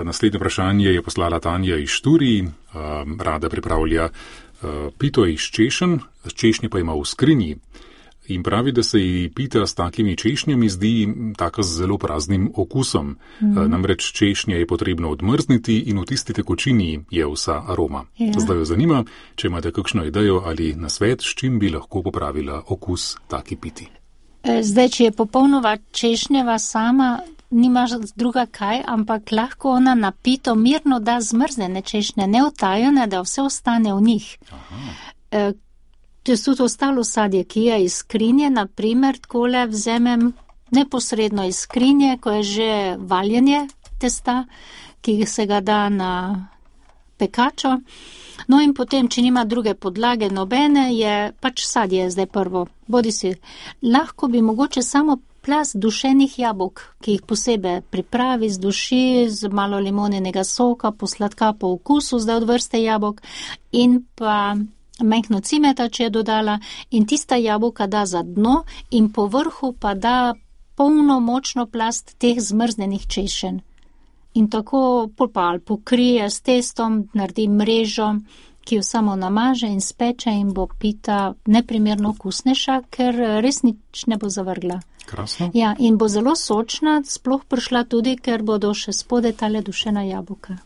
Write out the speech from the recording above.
Naslednje vprašanje je poslala Tanja iz Šturij. Rada pripravlja pito iz češenj, češnje pa ima v skrinji. In pravi, da se ji pita s takimi češnjami zdi taka z zelo praznim okusom. Namreč češnje je potrebno odmrzniti in v tisti tekočini je vsa aroma. Ja. Zdaj jo zanima, če imate kakšno idejo ali nasvet, s čim bi lahko popravila okus taki piti. Zdaj, če je popolnoma češnjeva sama, nimaš druga kaj, ampak lahko ona na pito mirno da zmrznjene češnje, neotajene, da vse ostane v njih. To je tudi ostalo sadje, ki je iz skrinje, naprimer, takole vzemem neposredno iz skrinje, ko je že valjenje testa, ki se ga da na pekačo. No in potem, če nima druge podlage nobene, je pač sadje zdaj prvo. Bodisi, lahko bi mogoče samo plast dušenih jabolk, ki jih posebej pripravi, zduši z malo limoninega soka, posladka po okusu, zdaj od vrste jabolk, in pa mehko cimeta, če je dodala, in tista jabolka da za dno in po vrhu pa da polno močno plast teh zmrznjenih češenj. In tako ali pokrije s testom, naredi mrežo, ki jo samo namaže in speče in bo pita neprimerno okusnejša, ker res nič ne bo zavrgla. Krasno. Ja, in bo zelo sočna, sploh prišla tudi, ker bodo še spode tale dušena jabolka.